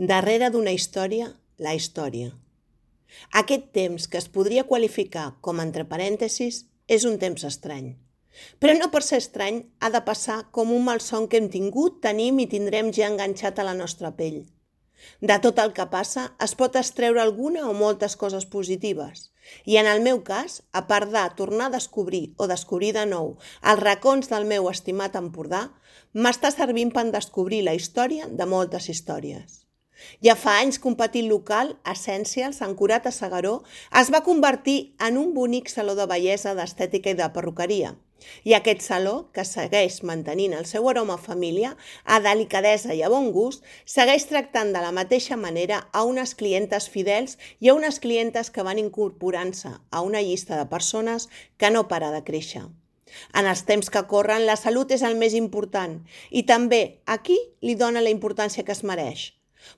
Darrere d'una història, la història. Aquest temps, que es podria qualificar com entre parèntesis, és un temps estrany. Però no per ser estrany ha de passar com un malson que hem tingut, tenim i tindrem ja enganxat a la nostra pell. De tot el que passa es pot extreure alguna o moltes coses positives. I en el meu cas, a part de tornar a descobrir o descobrir de nou els racons del meu estimat Empordà, m'està servint per descobrir la història de moltes històries. Ja fa anys que un petit local, Essentials, ancorat a S'Agaró, es va convertir en un bonic saló de bellesa, d'estètica i de perruqueria. I aquest saló, que segueix mantenint el seu aroma família, a delicadesa i a bon gust, segueix tractant de la mateixa manera a unes clientes fidels i a unes clientes que van incorporant-se a una llista de persones que no para de créixer. En els temps que corren, la salut és el més important i també aquí li dona la importància que es mereix.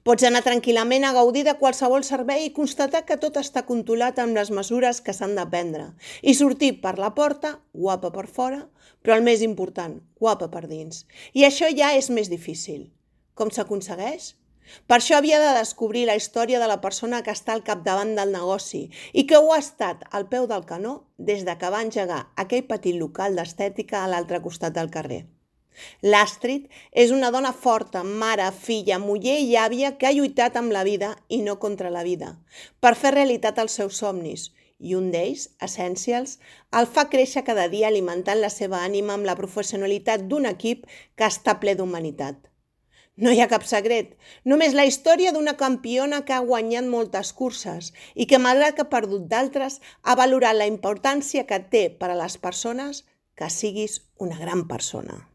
Pots anar tranquil·lament a gaudir de qualsevol servei i constatar que tot està controlat amb les mesures que s'han de prendre i sortir per la porta, guapa per fora, però el més important, guapa per dins. I això ja és més difícil. Com s'aconsegueix? Per això havia de descobrir la història de la persona que està al capdavant del negoci i que ho ha estat al peu del canó des de que va engegar aquell petit local d'estètica a l'altre costat del carrer. L'Astrid és una dona forta, mare, filla, muller i àvia que ha lluitat amb la vida i no contra la vida, per fer realitat els seus somnis, i un d'ells, Essentials, el fa créixer cada dia alimentant la seva ànima amb la professionalitat d'un equip que està ple d'humanitat. No hi ha cap secret, només la història d'una campiona que ha guanyat moltes curses i que, malgrat que ha perdut d'altres, ha valorat la importància que té per a les persones que siguis una gran persona.